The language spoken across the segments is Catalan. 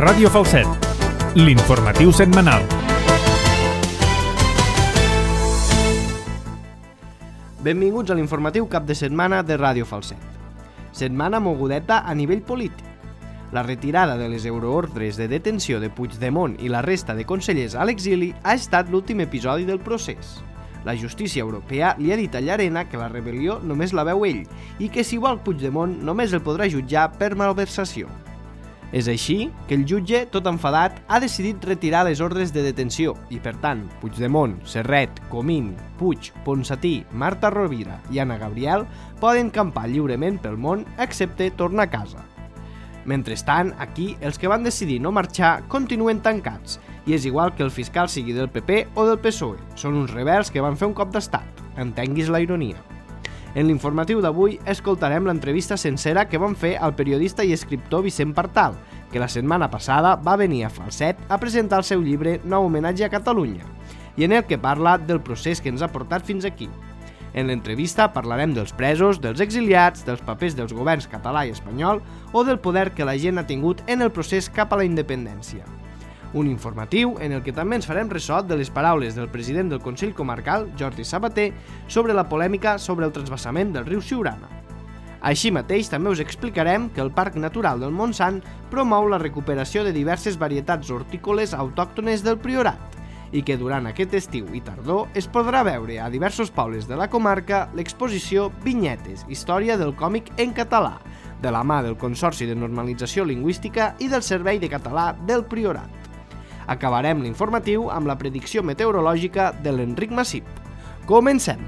Ràdio Falset, l'informatiu setmanal. Benvinguts a l'informatiu cap de setmana de Ràdio Falset. Setmana mogudeta a nivell polític. La retirada de les euroordres de detenció de Puigdemont i la resta de consellers a l'exili ha estat l'últim episodi del procés. La justícia europea li ha dit a Llarena que la rebel·lió només la veu ell i que si vol Puigdemont només el podrà jutjar per malversació. És així que el jutge, tot enfadat, ha decidit retirar les ordres de detenció i, per tant, Puigdemont, Serret, Comín, Puig, Ponsatí, Marta Rovira i Anna Gabriel poden campar lliurement pel món excepte tornar a casa. Mentrestant, aquí, els que van decidir no marxar continuen tancats i és igual que el fiscal sigui del PP o del PSOE. Són uns rebels que van fer un cop d'estat. Entenguis la ironia. En l'informatiu d'avui escoltarem l'entrevista sencera que van fer al periodista i escriptor Vicent Partal, que la setmana passada va venir a Falset a presentar el seu llibre Nou homenatge a Catalunya, i en el que parla del procés que ens ha portat fins aquí. En l'entrevista parlarem dels presos, dels exiliats, dels papers dels governs català i espanyol o del poder que la gent ha tingut en el procés cap a la independència. Un informatiu en el que també ens farem ressò de les paraules del president del Consell Comarcal, Jordi Sabater, sobre la polèmica sobre el transvasament del riu Siurana. Així mateix també us explicarem que el Parc Natural del Montsant promou la recuperació de diverses varietats hortícoles autòctones del Priorat i que durant aquest estiu i tardor es podrà veure a diversos pobles de la comarca l'exposició Vinyetes, història del còmic en català, de la mà del Consorci de Normalització Lingüística i del Servei de Català del Priorat. Acabarem l'informatiu amb la predicció meteorològica de l'Enric Massip. Comencem!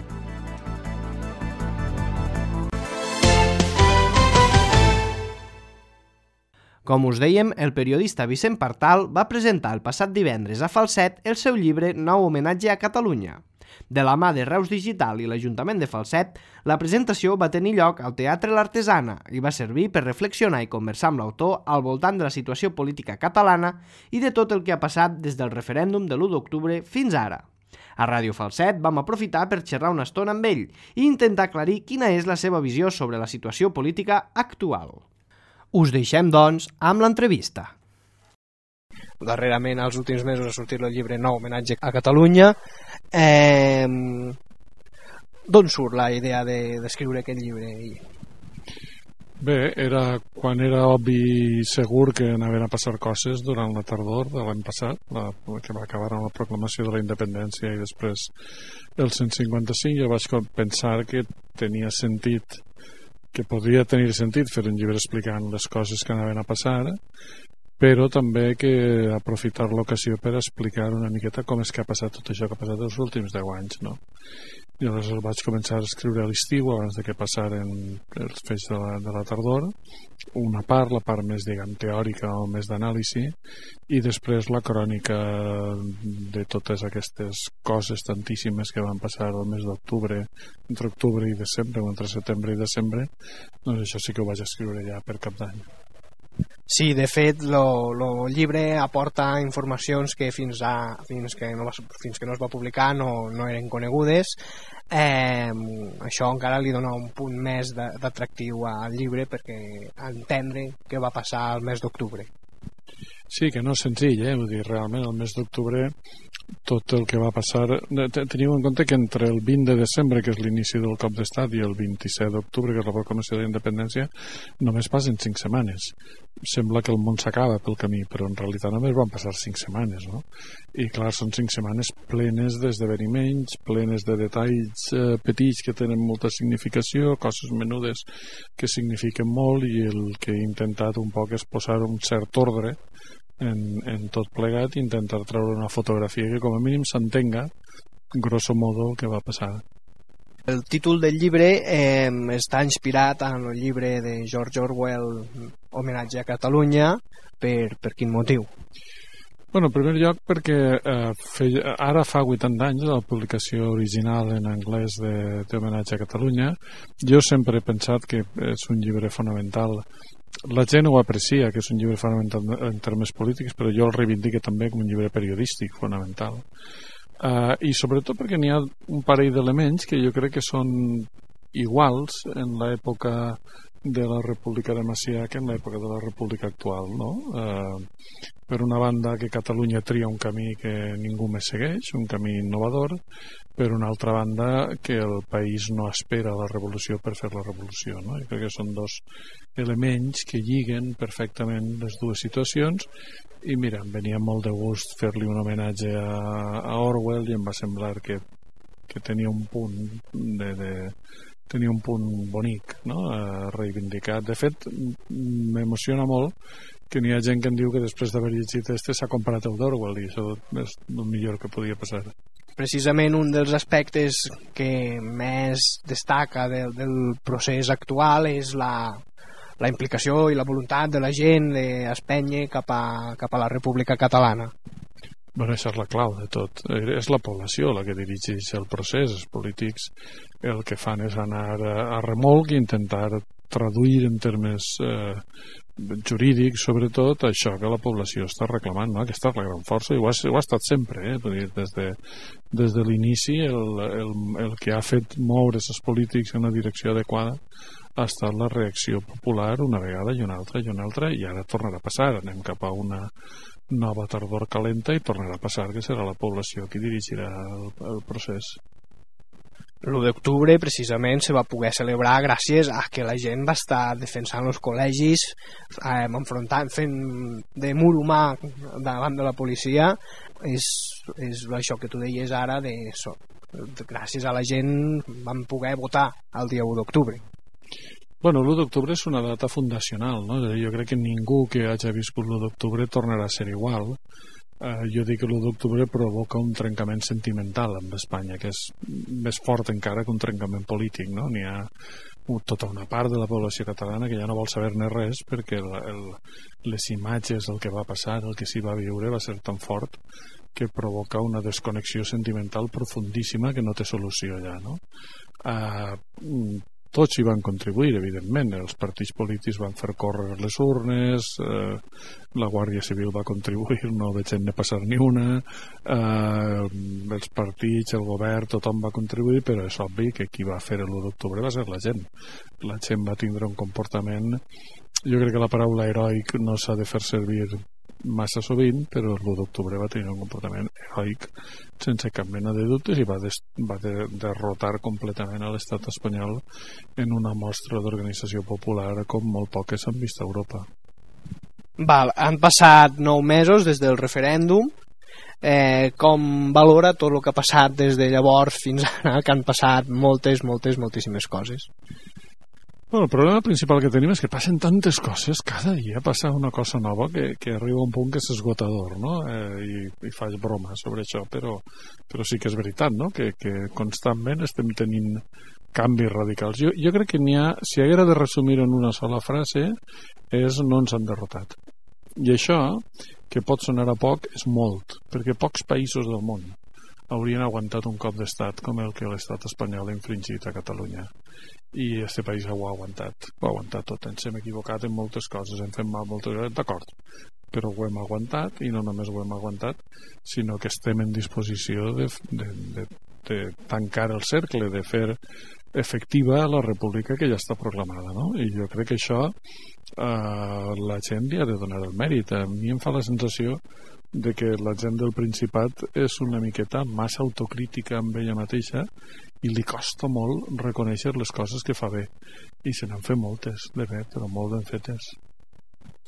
Com us dèiem, el periodista Vicent Partal va presentar el passat divendres a Falset el seu llibre Nou homenatge a Catalunya. De la mà de Reus Digital i l'Ajuntament de Falset, la presentació va tenir lloc al Teatre L'Artesana i va servir per reflexionar i conversar amb l'autor al voltant de la situació política catalana i de tot el que ha passat des del referèndum de l'1 d'octubre fins ara. A Ràdio Falset vam aprofitar per xerrar una estona amb ell i intentar aclarir quina és la seva visió sobre la situació política actual. Us deixem, doncs, amb l'entrevista. Darrerament, als últims mesos, ha sortit el llibre Nou homenatge a Catalunya. D'on surt la idea d'escriure aquest llibre? Bé, era quan era obvi i segur que anaven a passar coses durant la tardor de l'any passat, que va acabar amb la proclamació de la independència i després el 155. Jo vaig pensar que tenia sentit, que podria tenir sentit fer un llibre explicant les coses que anaven a passar, però també que aprofitar l'ocasió per explicar una miqueta com és que ha passat tot això que ha passat els últims 10 anys, no? I aleshores vaig començar a escriure a l'estiu abans de que passaren els fets de la tardor, una part, la part més, diguem, teòrica o més d'anàlisi, i després la crònica de totes aquestes coses tantíssimes que van passar el mes d'octubre, entre octubre i desembre, o entre setembre i desembre. Doncs això sí que ho vaig escriure ja per Cap d'Any. Sí, de fet, el llibre aporta informacions que fins que no es va publicar no eren conegudes. Això encara li dona un punt més d'atractiu al llibre perquè entendre què va passar el mes d'octubre. Sí, que no és senzill, vull dir, realment el mes d'octubre tot el que va passar... Teniu en compte que entre el 20 de desembre, que és l'inici del cop d'estat, i el 27 d'octubre, que és la proclamació de la independència, només passen 5 setmanes. Sembla que el món s'acaba pel camí, però en realitat només van passar 5 setmanes, no? I clar, són 5 setmanes plenes d'esdeveniments, plenes de detalls petits que tenen molta significació, coses menudes que signifiquen molt, i el que he intentat un poc és posar un cert ordre en tot plegat i intentar treure una fotografia que com a mínim s'entenga grosso modo el que va passar. El títol del llibre està inspirat en el llibre de George Orwell, Homenatge a Catalunya. Per quin motiu? Bueno, en primer lloc perquè ara fa 80 anys de la publicació original en anglès d'Homenatge a Catalunya. Jo sempre he pensat que és un llibre fonamental. La gent ho aprecia, que és un llibre fonamental en termes polítics, però jo el reivindico també com un llibre periodístic fonamental. I sobretot perquè n'hi ha un parell d'elements que jo crec que són iguals en l'època de la República de Macià que en l'època de la República actual, no? Per una banda, que Catalunya tria un camí que ningú més segueix, un camí innovador, per una altra banda, que el país no espera la revolució per fer la revolució, no? Jo crec que són dos elements que lliguen perfectament les dues situacions. I mira, em venia molt de gust fer-li un homenatge a Orwell i em va semblar que tenia un punt tenia un punt bonic, no? Reivindicat. De fet, m'emociona molt que n'hi ha gent que em diu que després d'haver llegit s'ha comprat el d'Orwell, i això és el millor que podia passar. Precisament un dels aspectes que més destaca del procés actual és la implicació i la voluntat de la gent d'espènyer cap a la República Catalana. Bueno, això és la clau de tot. És la població la que dirigeix el procés. Els polítics el que fan és anar a remolc i intentar traduir en termes jurídics, sobretot, això que la població està reclamant, no? Aquesta és la gran força, i ho ha estat sempre, des de l'inici el que ha fet moure els polítics en la direcció adequada ha estat la reacció popular una vegada i una altra, i ara tornarà a passar. Anem cap a una nova tardor calenta i tornarà a passar que serà la població qui dirigirà el procés. L'1 d'octubre precisament se va poder celebrar gràcies a que la gent va estar defensant els col·legis, enfrontant, fent de mur humà davant de la policia. És això que tu deies ara, gràcies a la gent vam poder votar el dia 1 d'octubre. Bueno, l'1 d'octubre és una data fundacional, no? Jo crec que ningú que hagi viscut l'1 d'octubre tornarà a ser igual. Jo dic que l'1 d'octubre provoca un trencament sentimental amb Espanya, que és més fort encara que un trencament polític, no? N'hi ha tota una part de la població catalana que ja no vol saber-ne res perquè les imatges del que va passar, el que s'hi va viure, va ser tan fort que provoca una desconnexió sentimental profundíssima que no té solució ja, no? Tots hi van contribuir, evidentment. Els partits polítics van fer córrer les urnes, la Guàrdia Civil va contribuir, no veig ne passar ni una, els partits, el govern, tothom va contribuir, però és obvi que qui va fer l'1 d'octubre va ser la gent. La gent va tindre un comportament... Jo crec que la paraula heroic no s'ha de fer servir massa sovint, però l'1 d'octubre va tenir un comportament heroic sense cap mena de dubtes i va derrotar completament a l'estat espanyol en una mostra d'organització popular com molt poques s'han vist a Europa. Han passat 9 mesos des del referèndum. Com valora tot el que ha passat des de llavors fins ara, que han passat moltíssimes coses? Bueno, el problema principal que tenim és que passen tantes coses, cada dia passa una cosa nova que arriba a un punt que és esgotador, no? I faig broma sobre això, però sí que és veritat, no? Que constantment estem tenint canvis radicals. Jo crec que si haguera de resumir en una sola frase, és no ens han derrotat. I això, que pot sonar a poc, és molt, perquè pocs països del món haurien aguantat un cop d'estat com el que l'estat espanyol ha infringit a Catalunya. I aquest país ho ha aguantat tot. Ens hem equivocat en moltes coses, hem fet mal moltes coses, d'acord, però ho hem aguantat, i no només ho hem aguantat, sinó que estem en disposició de tancar el cercle, de fer efectiva la república que ja està proclamada, no? I jo crec que això la gent li ha de donar el mèrit. A mi em fa la sensació de que la gent del Principat és una miqueta massa autocrítica amb ella mateixa i li costa molt reconèixer les coses que fa bé, i se n'han fet moltes de bé, però molt ben fetes.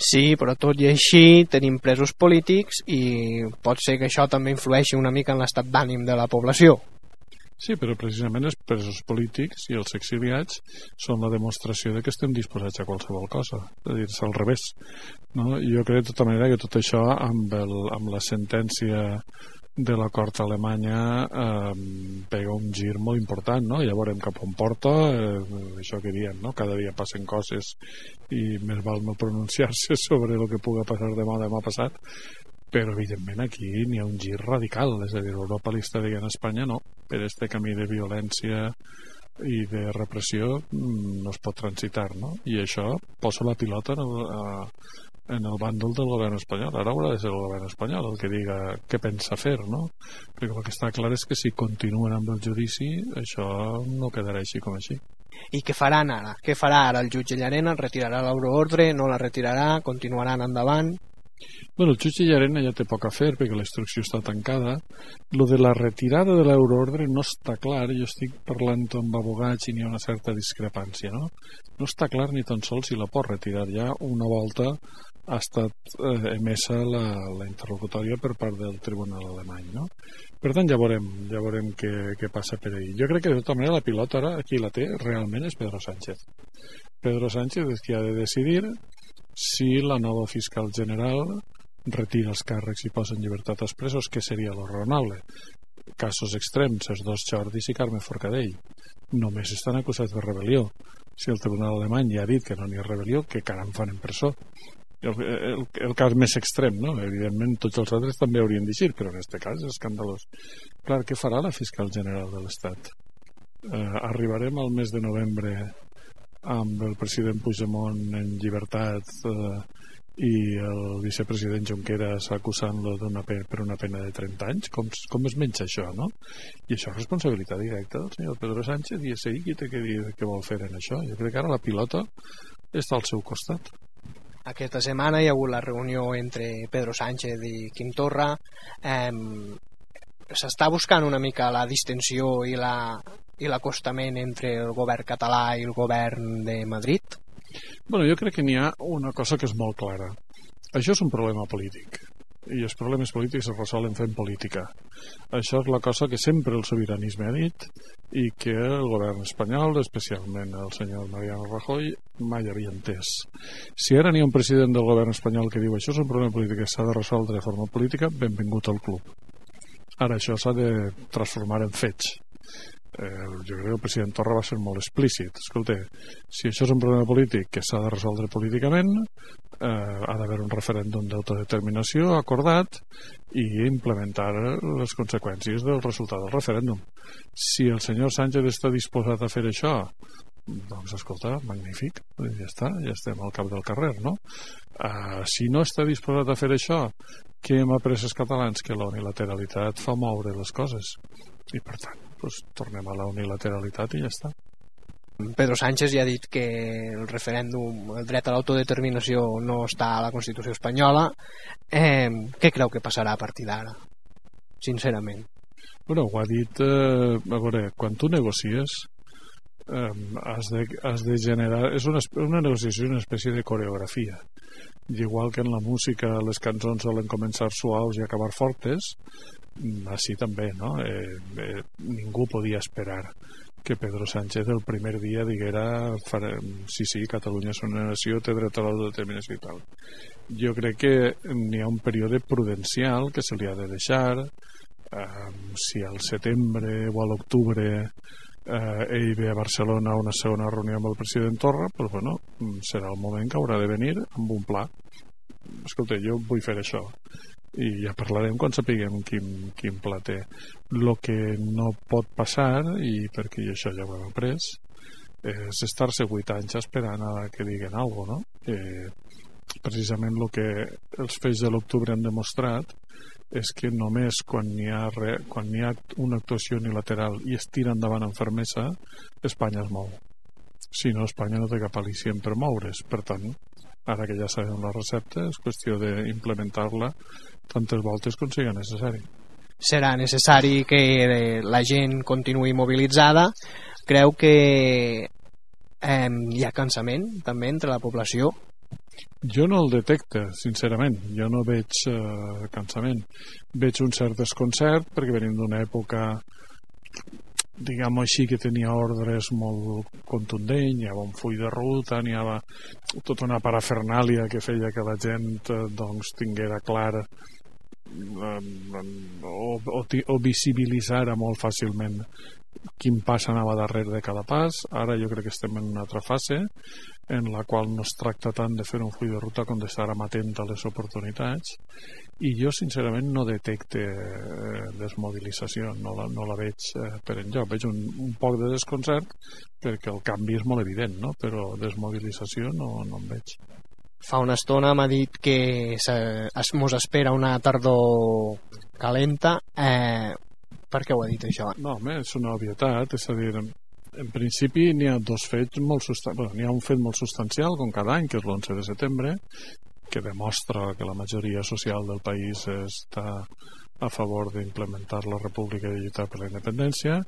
Sí, però tot i així tenim presos polítics i pot ser que això també influeixi una mica en l'estat d'ànim de la població. Sí, però precisament els presos polítics i els exiliats són la demostració de que estem disposats a qualsevol cosa, és a dir, és al revés, no? Jo crec de tota manera que tot això amb la sentència de la Cort Alemanya pega un gir molt important, no? Ja veurem cap on porta, això que diem, no? Cada dia passen coses i més val no pronunciar-se sobre el que pugui passar demà passat, però evidentment aquí n'hi ha un gir radical, és a dir, Europa li està dient a Espanya no, per este camí de violència i de repressió no es pot transitar, no? I això posa la pilota en el bàndol del govern espanyol. Ara haurà de ser el govern espanyol el que diga què pensa fer, no? Perquè el que està clar és que si continuen amb el judici això no quedarà així com així. I què faran ara? Què farà ara el jutge Llarena? Retirarà l'euroordre? No la retirarà? Continuaran endavant? Bueno, el jutge Llarena ja té poc a fer perquè la instrucció està tancada. Lo de la retirada de l'euroordre no està clar. Jo estic parlant amb abogats i n'hi ha una certa discrepància, no? No està clar ni tan sols si la pot retirar. Ja una volta ha estat emesa la interlocutòria per part del tribunal alemany, no? Per tant, ja veurem què passa per ahir. Jo crec que de tota manera la pilota ara, qui la té realment és Pedro Sánchez. Pedro Sánchez és qui ha de decidir si la nova fiscal general retira els càrrecs i posa en llibertat els presos, que seria lo raonable. Casos extrems, els dos Jordis i Carme Forcadell. Només estan acusats de rebel·lió. Si el tribunal alemany ja ha dit que no n'hi ha rebel·lió, que caram fan en presó. El cas més extrem, no? Evidentment tots els altres també haurien d'eixir, però en aquest cas és escandalós. Clar, què farà la fiscal general de l'Estat? Arribarem al mes de novembre amb el president Puigdemont en llibertat i el vicepresident Junqueras acusant-lo per una pena de 30 anys. Com es menja això, no? I això és responsabilitat directa del senyor Pedro Sánchez i és ell qui té que dir què vol fer en això. Jo crec que ara la pilota està al seu costat. Aquesta setmana hi ha hagut la reunió entre Pedro Sánchez i Quim Torra. S'està buscant una mica la distensió i l'acostament entre el govern català i el govern de Madrid? Bueno, jo crec que n'hi ha una cosa que és molt clara. Això és un problema polític i els problemes polítics es resolen fent política. Això és la cosa que sempre el sobiranisme ha dit i que el govern espanyol, especialment el senyor Mariano Rajoy, mai havia entès. Si ara n'hi ha un president del govern espanyol que diu això és un problema polític que s'ha de resoldre de forma política, benvingut al club. Ara això s'ha de transformar en fets. Jo crec que el president Torra va ser molt explícit. Escolta, si això és un problema polític que s'ha de resoldre políticament, ha d'haver un referèndum d'autodeterminació acordat i implementar les conseqüències del resultat del referèndum. Si el senyor Sánchez està disposat a fer això, doncs escolta, magnífic, ja està, ja estem al cap del carrer, no? Si no està disposat a fer això, què hem après els catalans? Que la unilateralitat fa moure les coses i per tant tornem a la unilateralitat i ja està. Pedro Sánchez ja ha dit que el referèndum, el dret a l'autodeterminació no està a la Constitució espanyola. Què creu que passarà a partir d'ara? Sincerament. Bueno, ho ha dit, a veure, quan tu negocies has de generar, és una negociació, una espècie de coreografia. I igual que en la música les cançons solen començar suaus i acabar fortes, així també, no? Ningú podia esperar que Pedro Sánchez el primer dia diguera sí, Catalunya és una nació, té dret a l'autodeterminació i tal. Jo crec que n'hi ha un període prudencial que se li ha de deixar. Si al setembre o a l'octubre ell ve a Barcelona a una segona reunió amb el president Torra, doncs bueno, serà el moment que haurà de venir amb un pla. Escolta, jo vull fer això i ja parlarem quan sapiguem quin pla té. El que no pot passar, i perquè això ja ho hem après, és estar-se 8 anys esperant a que diguen alguna cosa, no? Precisament el que els fets de l'octubre han demostrat és que només quan hi ha una actuació unilateral i es tira endavant amb fermesa, Espanya es mou. Si no, Espanya no té cap al·licient per moure's. Per tant, ara que ja sabem la recepta, és qüestió d'implementar-la tantes voltes com sigui necessari. Serà necessari que la gent continuï mobilitzada. Creu que hi ha cansament també entre la població? Jo no el detecte, sincerament. Jo no veig cansament. Veig un cert desconcert perquè venim d'una època, diguem-ho així, que tenia ordres molt contundents, hi havia un full de ruta, n'hi havia tota una parafernàlia que feia que la gent tinguera clar o visibilitzara molt fàcilment quin pas anava darrere de cada pas. Ara jo crec que estem en una altra fase en la qual no es tracta tant de fer un full de ruta com d'estar amatent a les oportunitats, i jo sincerament no detecte desmobilització, no la veig per enlloc. Veig un poc de desconcert perquè el canvi és molt evident, no? Però desmobilització no en veig. Fa una estona m'ha dit que mos espera una tardor calenta. Per què ho ha dit això? No, home, és una obvietat, és a dir, En principi n'hi ha dos fets molt substancials. N'hi ha un fet molt substancial, com cada any, que és l'11 de setembre, que demostra que la majoria social del país està a favor d'implementar la república i lluitar per la independència.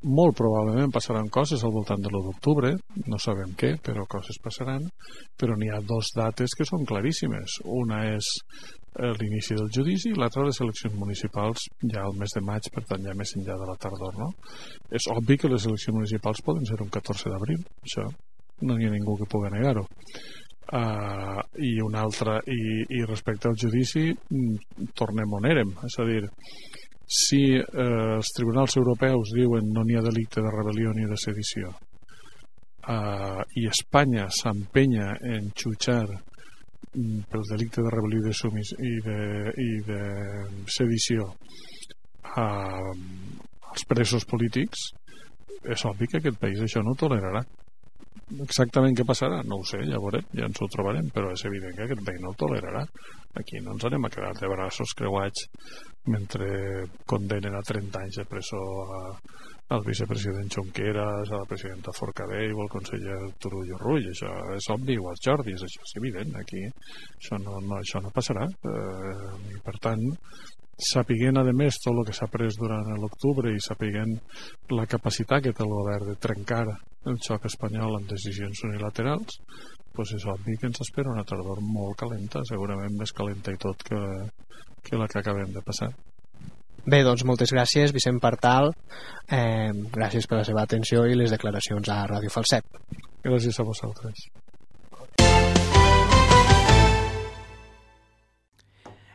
Molt probablement passaran coses al voltant de l'1 d'octubre, no sabem què, però coses passaran, però n'hi ha dos dates que són claríssimes. Una és l'inici del judici i l'altra les eleccions municipals ja al mes de maig, per tant ja més enllà de la tardor, no? És obvi que les eleccions municipals poden ser un 14 d'abril, això no hi ha ningú que pugui negar-ho. I una altra, i respecte al judici, tornem on érem, és a dir, si els tribunals europeus diuen no n'hi ha delicte de rebel·lió ni de sedició i Espanya s'empenya en jutjar pel delicte de rebel·lió i de sedició als presos polítics, és obvi que aquest país això no ho tolerarà. Exactament què passarà? No ho sé, ja veurem, ja ens ho trobarem, però és evident que aquest país no ho tolerarà. Aquí no ens anem a quedar de braços creuats mentre condenen a 30 anys de presó al vicepresident Junqueras, a la presidenta Forcadell o al conseller Turull o Rull. Això és obvi, o als Jordis, això és evident. Aquí això no passarà. I per tant, sapiguent a més tot el que s'ha pres durant l'octubre i sapiguent la capacitat que té el govern de trencar el xoc espanyol amb decisions unilaterals, doncs és obvi que ens espera una tardor molt calenta, segurament més calenta i tot que la que acabem de passar. Bé, doncs moltes gràcies, Vicent Partal. Gràcies per la seva atenció i les declaracions a Ràdio Falset. Gràcies a vosaltres.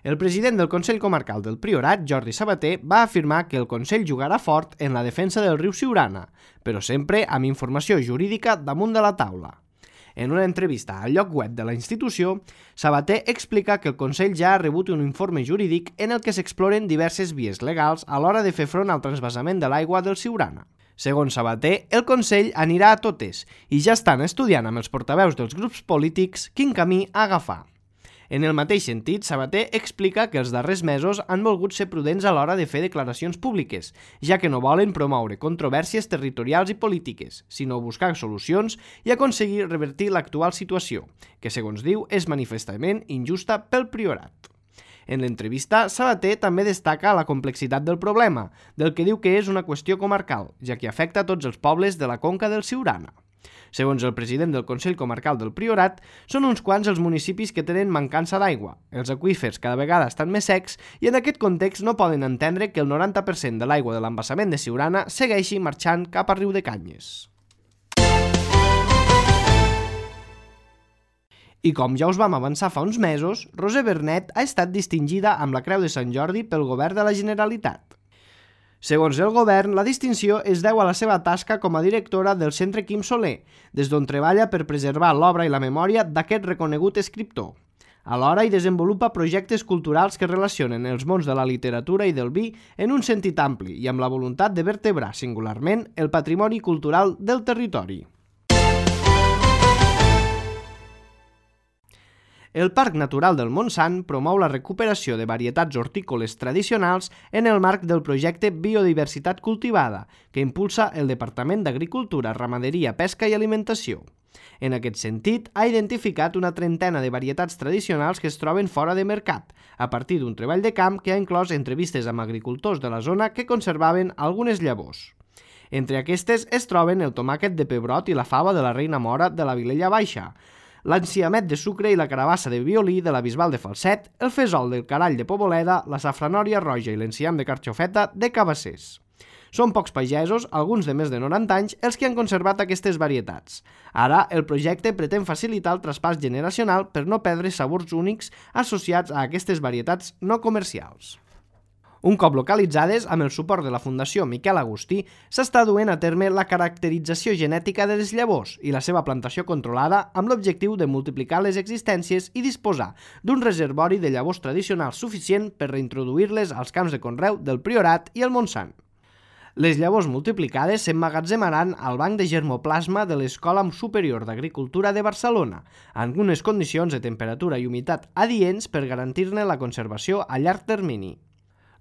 El president del Consell Comarcal del Priorat, Jordi Sabater, va afirmar que el Consell jugarà fort en la defensa del riu Siurana, però sempre amb informació jurídica damunt de la taula. En una entrevista al lloc web de la institució, Sabater explica que el Consell ja ha rebut un informe jurídic en el que s'exploren diverses vies legals a l'hora de fer front al transvasament de l'aigua del Siurana. Segons Sabater, el Consell anirà a totes i ja estan estudiant amb els portaveus dels grups polítics quin camí agafar. En el mateix sentit, Sabater explica que els darrers mesos han volgut ser prudents a l'hora de fer declaracions públiques, ja que no volen promoure controvèrsies territorials i polítiques, sinó buscar solucions i aconseguir revertir l'actual situació, que, segons diu, és manifestament injusta pel Priorat. En l'entrevista, Sabater també destaca la complexitat del problema, del que diu que és una qüestió comarcal, ja que afecta a tots els pobles de la conca del Siurana. Segons el president del Consell Comarcal del Priorat, són uns quants els municipis que tenen mancança d'aigua, els aqüífers cada vegada estan més secs i en aquest context no poden entendre que el 90% de l'aigua de l'embassament de Siurana segueixi marxant cap a Riudecanyes. I com ja us vam avançar fa uns mesos, Roser Bernet ha estat distingida amb la Creu de Sant Jordi pel Govern de la Generalitat. Segons el govern, la distinció es deu a la seva tasca com a directora del Centre Quim Soler, des d'on treballa per preservar l'obra i la memòria d'aquest reconegut escriptor. Alhora hi desenvolupa projectes culturals que relacionen els mons de la literatura i del vi en un sentit ampli i amb la voluntat de vertebrar singularment el patrimoni cultural del territori. El Parc Natural del Montsant promou la recuperació de varietats hortícoles tradicionals en el marc del projecte Biodiversitat Cultivada, que impulsa el Departament d'Agricultura, Ramaderia, Pesca i Alimentació. En aquest sentit, ha identificat una trentena de varietats tradicionals que es troben fora de mercat, a partir d'un treball de camp que ha inclòs entrevistes amb agricultors de la zona que conservaven algunes llavors. Entre aquestes es troben el tomàquet de pebrot i la fava de la Reina Mora de la Vilella Baixa, l'enciamet de sucre i la carabassa de violí de la Bisbal de Falset, el fesol del carall de Poboleda, la safranòria roja i l'enciam de carxofeta de Cabassers. Són pocs pagesos, alguns de més de 90 anys, els que han conservat aquestes varietats. Ara, el projecte pretén facilitar el traspàs generacional per no perdre sabors únics associats a aquestes varietats no comercials. Un cop localitzades, amb el suport de la Fundació Miquel Agustí, s'està duent a terme la caracterització genètica de les llavors i la seva plantació controlada amb l'objectiu de multiplicar les existències i disposar d'un reservori de llavors tradicionals suficient per reintroduir-les als camps de conreu del Priorat i el Montsant. Les llavors multiplicades s'emmagatzemaran al Banc de Germoplasma de l'Escola Superior d'Agricultura de Barcelona, en unes condicions de temperatura i humitat adients per garantir-ne la conservació a llarg termini.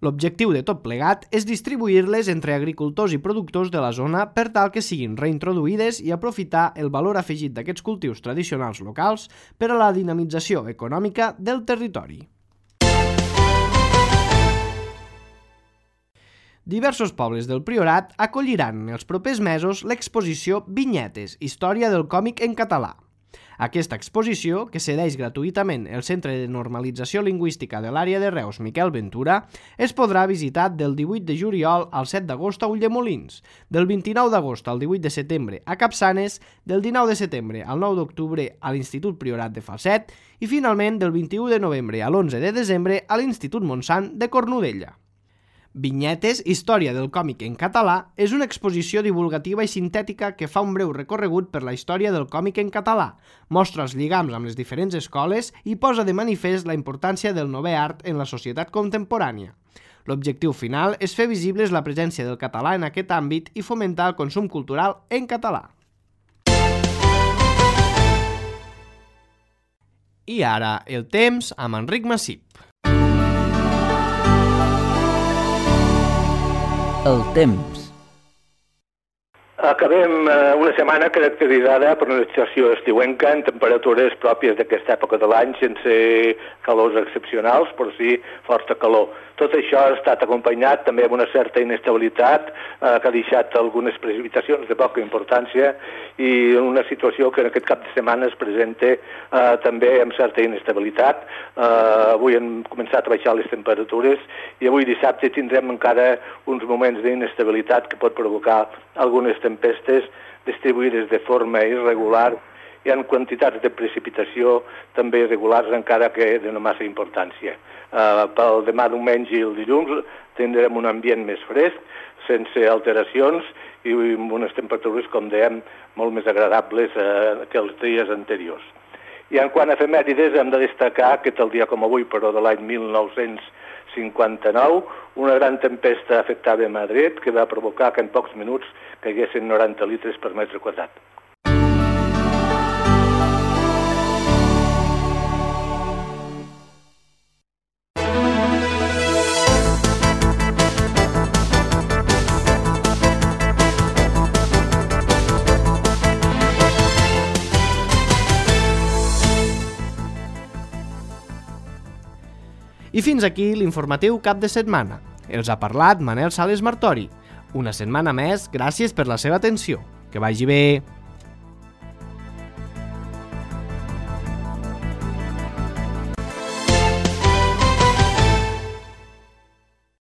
L'objectiu de tot plegat és distribuir-les entre agricultors i productors de la zona per tal que siguin reintroduïdes i aprofitar el valor afegit d'aquests cultius tradicionals locals per a la dinamització econòmica del territori. Diversos pobles del Priorat acolliran en els propers mesos l'exposició Vinyetes, història del còmic en català. Aquesta exposició, que cedeix gratuïtament el Centre de Normalització Lingüística de l'àrea de Reus Miquel Ventura, es podrà visitar del 18 de juliol al 7 d'agost a Ulldemolins, del 29 d'agost al 18 de setembre a Capçanes, del 19 de setembre al 9 d'octubre a l'Institut Priorat de Falset i finalment del 21 de novembre a l'11 de desembre a l'Institut Montsant de Cornudella. Vinyetes, història del còmic en català, és una exposició divulgativa i sintètica que fa un breu recorregut per la història del còmic en català, mostra els lligams amb les diferents escoles i posa de manifest la importància del novè art en la societat contemporània. L'objectiu final és fer visibles la presència del català en aquest àmbit i fomentar el consum cultural en català. I ara, el temps amb Enric Massip. El temps. Acabem una setmana caracteritzada per una estació estiuenca en temperatures pròpies d'aquesta època de l'any, sense calors excepcionals, però sí força calor. Tot això ha estat acompanyat també amb una certa inestabilitat que ha deixat algunes precipitacions de poca importància i una situació que en aquest cap de setmana es presenta també amb certa inestabilitat. Avui han començat a baixar les temperatures i avui dissabte tindrem encara uns moments d'inestabilitat que pot provocar algunes tempestes distribuïdes de forma irregular i en quantitats de precipitació també irregulars encara que de no massa importància. Pel demà diumenge i el dilluns tindrem un ambient més fresc, sense alteracions i amb unes temperatures, com dèiem, molt més agradables que els dies anteriors. I en quant a efemèrides hem de destacar que tal dia com avui, però de l'any 1959, una gran tempesta afectava Madrid que va provocar que en pocs minuts caiguessin 90 litres per metre quadrat. I fins aquí l'informatiu cap de setmana. Els ha parlat Manel Sales Martori. Una setmana més, gràcies per la seva atenció. Que vagi bé!